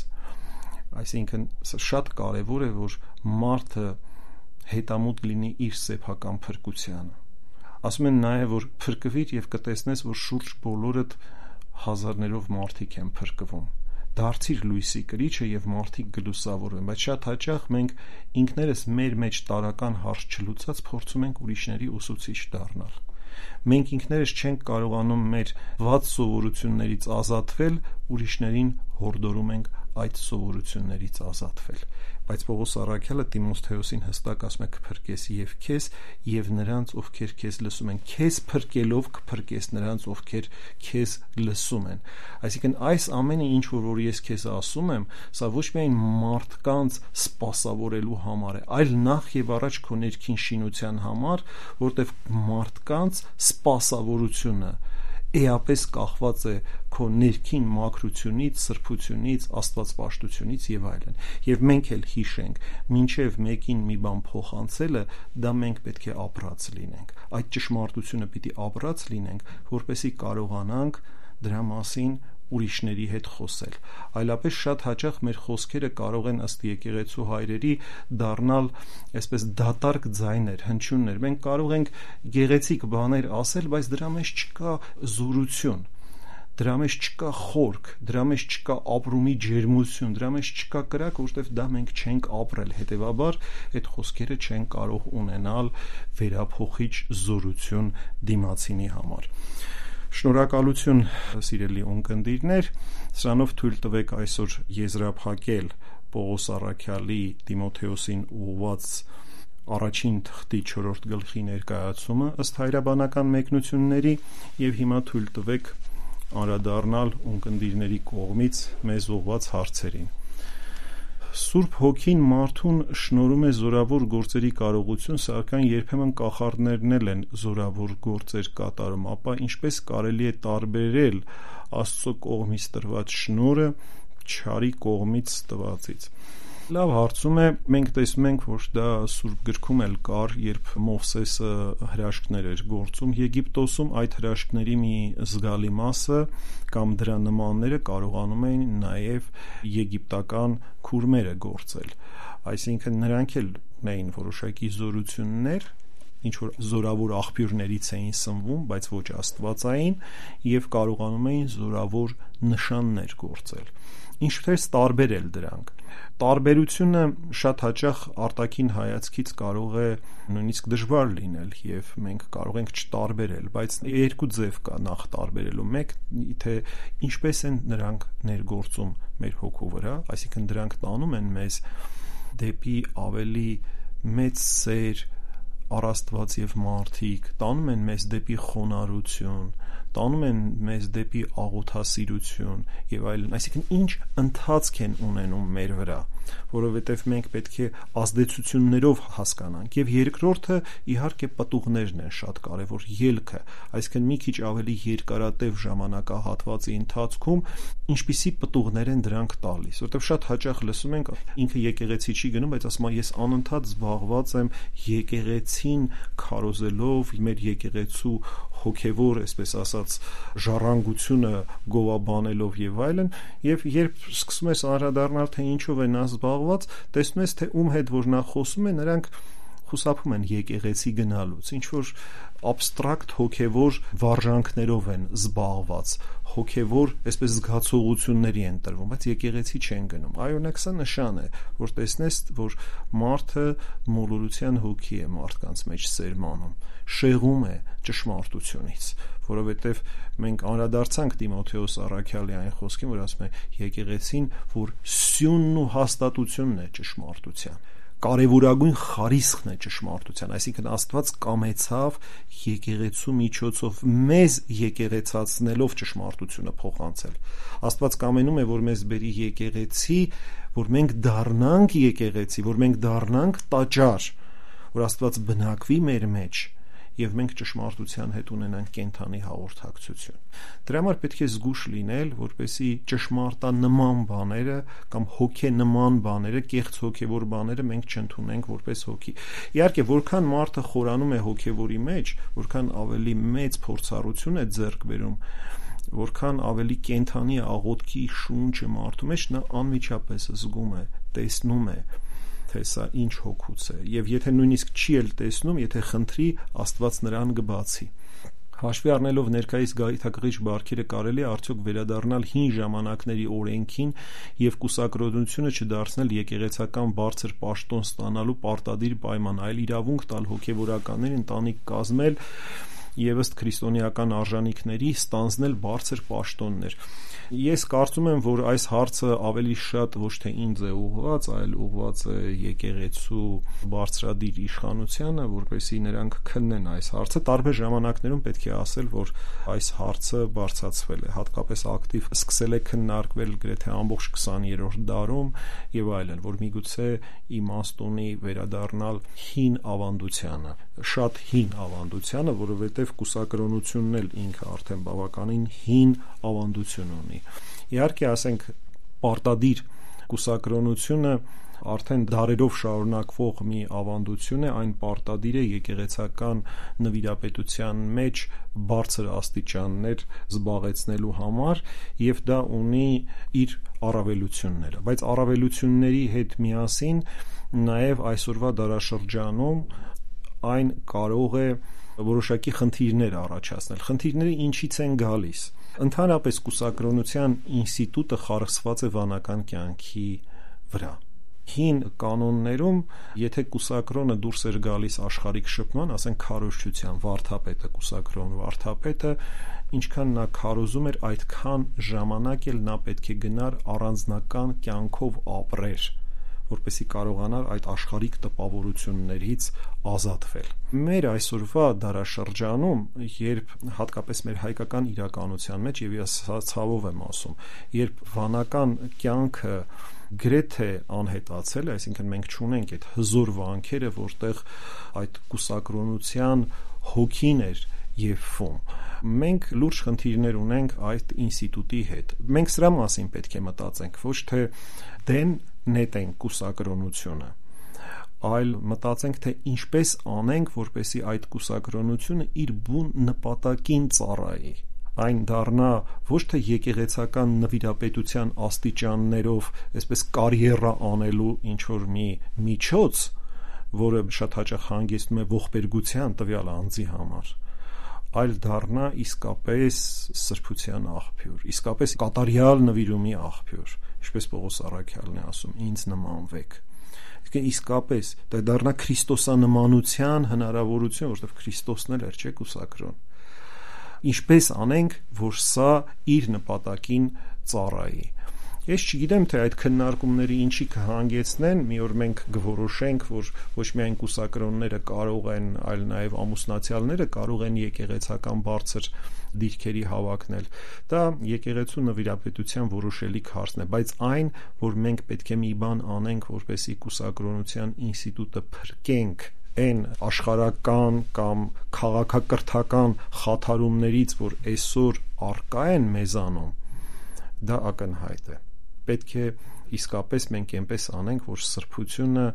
այսինքն շատ կարեւոր է, որ մարդը հետամուտ լինի իր սեփական փրկությանը։ Ասում են նաեւ, որ փրկվիր եւ կտեսնես, որ շուրջ բոլորդ հազարներով մարդիկ են փրկվում։ Դարձիր լույսի կրիչը եւ մարդիկ գլուսավորվեն, բայց շատ հաճախ մենք ինքներս մեր մեջ տարական հարց չլուծած փորձում ենք ուրիշների ուսուցիչ դառնալ։ Մենք ինքներս չենք կարողանում մեր վատ սովորություններից ազատվել, ուրիշներին հորդորում ենք այդ սովորություններից ազատվել։ Բայց Պողոս առաքյալը Տիմոթեոսին հստակ ասում է կփրկես եւ քեզ եւ նրանց, ովքեր քեզ լսում են, քեզ փրկելով կփրկես նրանց, ովքեր քեզ լսում են։ Այսինքն այս ամենը ինչ որ ես քեզ ասում եմ, սա ոչ միայն մարդկանց սպասավորելու համար է, այլ նախ եւ առաջ քո ներքին շինության համար, որտեղ մարդկանց սպասավորությունը էապես կախված է քո ներքին մաքրությունից, սրբությունից, աստվածպաշտությունից եւ այլն։ Եվ մենք էլ հիշենք, մինչեւ մեկին մի բան փոխանցելը, դա մենք պետք է ապրած լինենք։ Այդ ճշմարտությունը պիտի ապրած լինենք, որպեսզի կարողանանք դրա մասին ուրիշների հետ խոսել։ Այլապես շատ հաճախ մեր խոսքերը կարող են ըստ եկեղեցու հայրերի դառնալ այսպես դատարկ ձայներ, հնչյուններ։ Մենք կարող ենք գեղեցիկ բաներ ասել, բայց դրա մեջ չկա զորություն, դրա մեջ չկա խորք, դրա մեջ չկա ապրումի ջերմություն, դրա մեջ չկա կրակ, որովհետև դա մենք չենք ապրել, հետևաբար այդ խոսքերը չեն կարող ունենալ վերափոխիչ զորություն դիմացինի համար։ Շնորհակալություն, սիրելի ունկնդիրներ, սրանով թույլ տվեք այսօր եզրափակել Պողոս առաքյալի Տիմոթեոսին ուղղված առաջին թղթի 4-րդ գլխի ներկայացումը ըստ հայրաբանական մեկնությունների եւ հիմա թույլ տվեք անդրադառնալ ունկնդիրների կողմից մեզ ուղղված հարցերին։ Սուրբ Հոգին մարդուն շնորհում է զորավոր գործերի կարողություն, սակայն երբեմն կախարդներն էլ են զորավոր գործեր կատարում, ապա ինչպես կարելի է տարբերել Աստծո կողմից տրված շնորհը չարի կողմից տվածից։ Լավ հարցում է, մենք տեսնում ենք, որ դա Սուրբ գրքում էլ կար, երբ Մովսեսը հրաշքներ էր գործում Եգիպտոսում, այդ հրաշքների մի զգալի մասը կամ դրա նմանները կարողանում էին նաև եգիպտական քուրմերը գործել։ Այսինքն նրանք էլ ունեին որոշակի զորություններ, ինչ որ զորավոր աղբյուրներից էին սնվում, բայց ոչ աստվածային, եւ կարողանում էին զորավոր նշաններ գործել։ Ինչպես տարբերել դրանք։ Տարբերությունը շատ հաճախ արտաքին հայացքից կարող է նույնիսկ դժվար լինել եւ մենք կարող ենք չտարբերել, բայց երկու ձև կա նախ տարբերելու։ Մեկ, թե ինչպես են նրանք ներգործում մեր հոգու վրա, այսինքն դրանք տանում են մեզ դեպի ավելի մեծ սեր, առաստված եւ մարդիկ, տանում են մեզ դեպի խոնարհություն, տանում են մեզ դեպի աղոթասիրություն եւ այլն, այսինքն ինչ ընթացք են ունենում մեր վրա, որովհետեւ մենք պետք է ազդեցություններով հասկանանք։ Եվ երկրորդը իհարկե պտուղներն են շատ կարեւոր, ելքը, այսինքն մի քիչ ավելի երկարատև ժամանակահատվածի ընթացքում ինչպիսի պտուղներ են դրանք տալիս, որովհետեւ շատ հաճախ լսում ենք ինքը եկեղեցի չի գնում, բայց ասում է ես անընդհատ զբաղված եմ եկեղեցին քարոզելով, մեր եկեղեցու հոգևոր, այսպես ասած, ժառանգությունը գովաբանելով եւ այլն, եւ երբ սկսում ես անդրադառնալ թե ինչով է նա զբաղված, տեսնում ես թե ում հետ որ նա խոսում է, նրանք խուսափում են եկեղեցի գնալուց, ինչ որ абստրակտ հոգևոր վարժանքներով են զբաղված, հոգևոր, այսպես զգացողությունների են տրվում, բայց եկեղեցի չեն գնում։ Այո, սա նշան է, որ տեսնես, որ մարդը մոլորության հոգի է մարդկանց մեջ սերմանում, շեղում է ճշմարտությունից, որովհետև մենք անդրադարձանք Տիմոթեոս առաքյալի այն խոսքին, որ ասում է եկեղեցին, որ սյունն ու հաստատությունն է ճշմարտության, կարևորագույն խարիսխն է ճշմարտության, այսինքն Աստված կամեցավ եկեղեցու միջոցով մեզ եկեղեցացնելով ճշմարտությունը փոխանցել։ Աստված կամենում է, որ մեզ բերի եկեղեցի, որ մենք դառնանք եկեղեցի, որ մենք դառնանք տաճար, որ Աստված բնակվի մեր մեջ եւ մենք ճշմարտության հետ ունենանք կենթանի հաղորդակցություն։ Դրա համար պետք է զգուշ լինել, որպեսզի ճշմարտանման բաները կամ հոգենման բաները, կեղծ հոգեվոր բաները մենք չընդունենք որպես հոգի։ Իհարկե, որքան մարդը խորանում է հոգեվորի մեջ, որքան ավելի մեծ փորձառություն է ձեռք բերում, որքան ավելի կենթանի աղոթքի շունչը մարդու մեջ, նա անմիջապես զգում է, տեսնում է, թե սա ինչ հոգուց է, եւ եթե նույնիսկ չի էլ տեսնում, եթե խնդրի, Աստված նրան կբացի։ Հաշվի առնելով ներկայիս գայթակղիչ բարքերը, կարելի է արդյոք վերադառնալ հին ժամանակների օրենքին եւ կուսակրոնությունը չդարձնել եկեղեցական բարձր պաշտոն ստանալու պարտադիր պայման, այլ իրավունք տալ հոգեվորականներին ընտանիք կազմել եւ ըստ քրիստոնեական արժանինքների ստանձնել բարձր պաշտոններ։ Ես կարծում եմ, որ այս հարցը ավելի շատ ոչ թե ինձ է ուղղված, այլ ուղղված է եկեղեցու բարձրադիր իշխանությանը, որպեսզի նրանք քննեն այս հարցը։ Տարբեր ժամանակներում պետք է ասել, որ այս հարցը բարձրացվել է, հատկապես ակտիվ սկսել է քննարկվել գրեթե ամբողջ 20-րդ դարում եւ այլն, որ միգուցե իմաստ ունի վերադառնալ հին ավանդությանը, շատ հին ավանդությանը, որովհետեւ կուսակրոնությունն էլ ինքը արդեն բավականին հին ավանդություն ունի։ Իհարկե, ասենք, պարտադիր կուսակրոնությունը արդեն դարերով շարունակվող մի ավանդություն է, այն պարտադիր է եկեղեցական նվիրապետության մեջ բարձր աստիճաններ զբաղեցնելու համար եւ դա ունի իր առավելությունները, բայց առավելությունների հետ միասին նաեւ այսօրվա դարաշրջանում այն կարող է որոշակի խնդիրներ առաջացնել։ Խնդիրները ինչից են գալիս։ Ընդհանրապես կուսակրոնության ինստիտուտը խարսխված է վանական կյանքի վրա։ Հին կանոններում, եթե կուսակրոնը դուրս էր գալիս աշխարհիկ շփման, ասենք քարոզչության վարդապետը, կուսակրոն վարդապետը, ինչքան նա քարոզում էր, այդքան ժամանակ էլ նա պետք է գնար առանձնական կյանքով ապրեր, որպեսզի կարողանար այդ աշխարհիկ տպավորություններից ազատվել։ Մեր այսօրվա դարաշրջանում, երբ հատկապես մեր հայկական իրականության մեջ, եւ ես ցավով եմ ասում, երբ վանական կյանքը գրեթե անհետացել է, այսինքն մենք չունենք այդ հզոր վանքերը, որտեղ այդ կուսակրոնության հոգին էր եփվում, մենք լուրջ խնդիրներ ունենք այդ ինստիտուտի հետ։ Մենք սրա մասին պետք է մտածենք, ոչ թե դեն նետենք կուսակրոնությունը, այլ մտածենք, թե ինչպես անենք, որպեսզի այդ կուսակրոնությունը իր բուն նպատակին ծառայի, այն դառնա ոչ թե եկեղեցական նվիրապետության աստիճաններով, այսպես կարիերա անելու ինչ որ մի միջոց, որը շատ հաճախ հանգեցնում է ողբերգության տվյալ անձի համար, այլ դառնա իսկապես սրբության աղբյուր, իսկապես կատարյալ նվիրումի աղբյուր, ինչպես Պողոս առաքյալն է ասում, ինձ նմանվեք։ Իսկապես դա դառնա քրիստոսանմանության հնարավորություն, որովհետև Քրիստոսն էլ էր, չէ՞, կուսակրոն։ Ինչպես անենք, որ սա իր նպատակին ծառայի։ Ես չգիտեմ, թե այդ քննարկումները ինչի կհանգեցնեն, մի օր մենք կորոշենք, որ ոչ միայն կուսակրոնները կարող են, այլ նաև ամուսնացյալները կարող են եկեղեցական բարձր դիրքերի հավակնել։ Դա եկեղեցու նվիրապետության որոշելիք հարցն է, բայց այն, որ մենք պետք է մի բան անենք, որպեսզի կուսակրոնության ինստիտուտը փրկենք այն աշխարհական կամ քաղաքակրթական խաթարումներից, որ այսօր առկա են մեզանում, դա ակնհայտ է։ Պետք է իսկապես մենք այնպես անենք, որ սրբությունը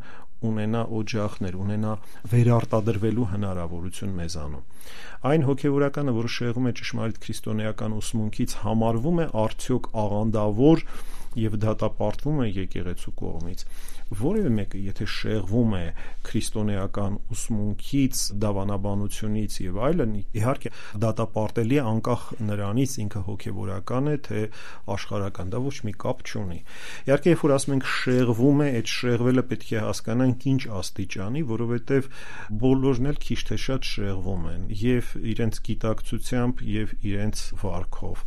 ունենա օջախներ, ունենա վերարտադրվելու հնարավորություն մեզանում։ Այն հոգևորականը, որը շեղում է ճշմարիտ քրիստոնեական ուսմունքից, համարվում է արդյոք աղանդավոր եւ դատապարտվում է եկեղեցու կողմից։ Որևէ մեկը, եթե շեղվում է քրիստոնեական ուսմունքից, դավանաբանությունից եւ այլն, իհարկե դատապարտելի է անկախ նրանից ինքը հոգևորական է, թե աշխարհական, դա ոչ մի կապ չունի։ Իհարկե, երբ որ ասում ենք շեղվում է, այդ շեղվելը պետք է հասկանանք ինչ աստիճանի, որովհետեւ բոլորն էլ քիչ թե շատ շեղվում են եւ իրենց գիտակցությամբ եւ իրենց վարքով։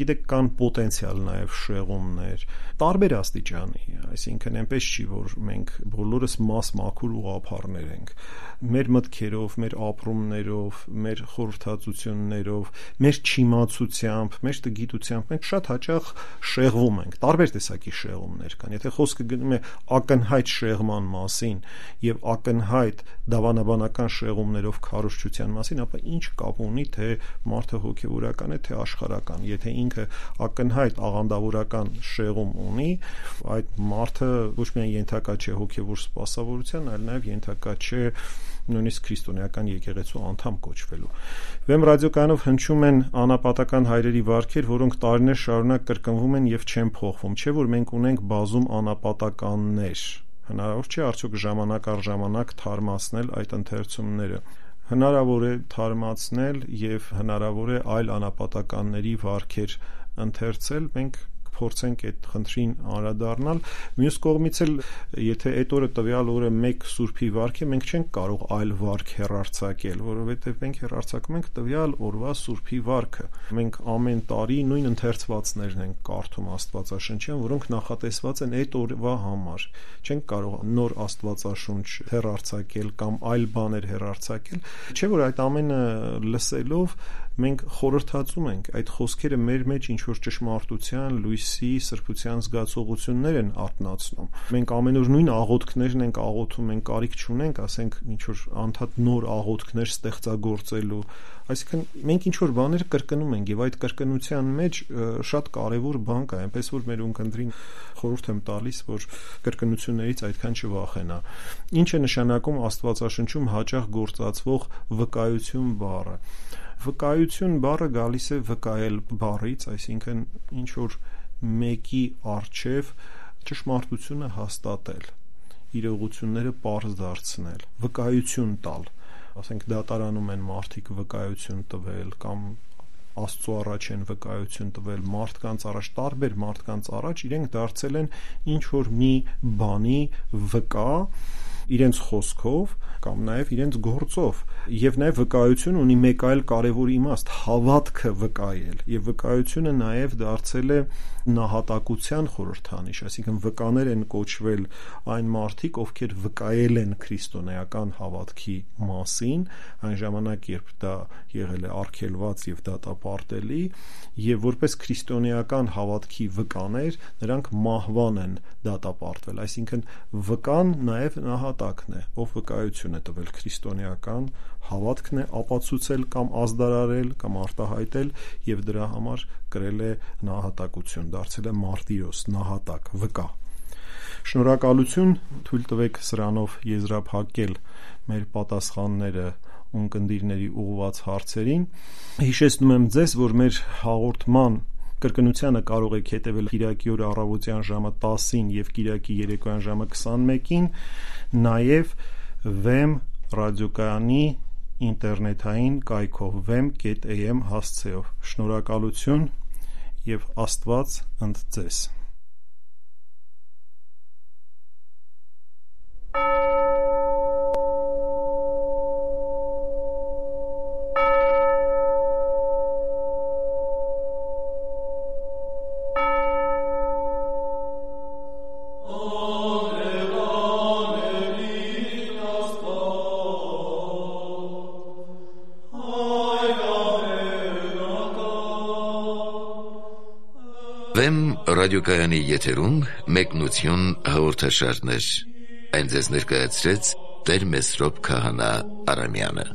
Գիտեք, կան պոտենցիալ նաեւ շեղումներ, տարբեր աստիճանի, այսինքն այնպես չի, որ մենք բոլորս մաքուր ուղղափառներ ենք, մեր մտքերով, մեր ապրումներով, մեր խորհրդածություններով, մեր չիմացությամբ, մեր տգիտությամբ մենք շատ հաճախ շեղվում ենք, տարբեր տեսակի շեղումներ կան։ Եթե խոսքը գնում է ակնհայտ շեղման մասին եւ ակնհայտ դավանաբանական շեղումներով քարոզչության մասին, ապա ինչ կապ ունի, թե մարդը հոգեվորական է, թե աշխարհական։ Եթե ինքը ակնհայտ աղանդավորական շեղում ունի, այդ մարդը ոչ միայն ենթակա չէ հոգևոր սպասավորության, այլ նաև ենթակա չէ նույնիսկ քրիստոնեական եկեղեցու անդամ կոչվելու։ Վեմ ռադիոկայանով հնչում են անապատական հայրերի վարքեր, որոնք տարիներ շարունակ կրկնվում են եւ չեն փոխվում, չէ՞ որ մենք ունենք բազում անապատականներ։ Հնարավոր չէ արդյոք ժամանակ առ ժամանակ թարմացնել այդ ընթերցումները։ Հնարավոր է թարմացնել եւ հնարավոր է այլ անապատականների վարքեր ընթերցել, մենք փորձենք այդ խնդրին անդրադառնալ։ Մյուս կողմից էլ, եթե այդ օրը տվյալ օրը մեկ սուրբի վարք է, մենք չենք կարող այլ վարք հեռարձակել, որովհետև մենք հեռարձակում ենք տվյալ օրվա սուրբի վարքը։ Մենք ամեն տարի նույն ընթերցվածներն ենք կարդում Աստվածաշնչյան, որոնք նախատեսված են այդ օրվա համար։ Չենք կարող նոր Աստվածաշունչ հեռարձակել կամ այլ բաներ հեռարձակել, չէ՞ որ այդ ամենը լսելով մենք խորհրդածում ենք, այդ խոսքերը մեր մեջ ինչ որ ճշմարտության, լույսի, սրբության զգացողություններ են արտնացնում։ Մենք ամեն օր նույն աղոթքներն ենք աղոթում, մենք կարիք չունենք, ասենք, ինչ որ անդադ նոր աղոթքներ ստեղծագործելու։ Այսինքն մենք ինչ որ բաներ կրկնում ենք եւ այդ կրկնության մեջ շատ կարեւոր բան կա, այնպես որ մեր ունկնդրին խորհուրդ եմ տալիս, որ կրկնություններից այդքան չվախենա։ Ինչ է նշանակում Աստվածաշնչում հաճախ գործածվող վկայություն բառը։ Վկայություն բառը գալիս է վկայել բառից, այսինքն ինչ որ մեկի առջև ճշմարտությունը հաստատել, իրողությունները պարզ դարձնել, վկայություն տալ, ասենք դատարանում են մարդիկ վկայություն տվել կամ Աստծո առաջ են վկայություն տվել, մարդկանց առաջ, տարբեր մարդկանց առաջ իրենք դարձել են ինչ որ մի բանի վկա իրենց խոսքով կամ նաև իրենց գործով եւ նաև վկայություն ունի մեկ այլ կարևոր իմաստ հավատքը վկայել եւ վկայությունը նաև դարձել է նահատակության խորհրդանիշ, այսինքն վկաներ են կոչվել այն մարդիկ, ովքեր վկայել են քրիստոնեական հավատքի մասին, այն ժամանակ, երբ դա եղել է արգելված եւ դատապարտելի, եւ որպես քրիստոնեական հավատքի վկաներ, նրանք մահվան են դատապարտվել, այսինքն վկան նաև նահատակն է, ով վկայություն է տվել քրիստոնեական հավատքն է ապացուցել կամ ազդարարել կամ արտահայտել եւ դրա համար կրել է նահատակություն, դարձել է մարտիրոս, նահատակ, վկա։ Շնորհակալություն, թույլ տվեք սրանով եզրափակել մեր պատասխանները ունկնդիրների ուղղված հարցերին։ Հիշեցնում եմ ձեզ, որ մեր հաղորդման կրկնությանը կարող եք հետևել Կիրակի օրը առավոտյան ժամը 10-ին եւ Կիրակի երեկոյան ժամը 21-ին, նաեւ Vem ռադիոկայանի ինտերնետային կայքով vem.am հասցեով։ Շնորհակալություն եւ Աստված ընդ ձեզ։ Վեմ ռադիոկայանի եթերում մեկնություն հաղորդաշարներ։ Այն ձեզ ներկայացրեց Տեր Մեսրոպ Քահանա Արամյանը։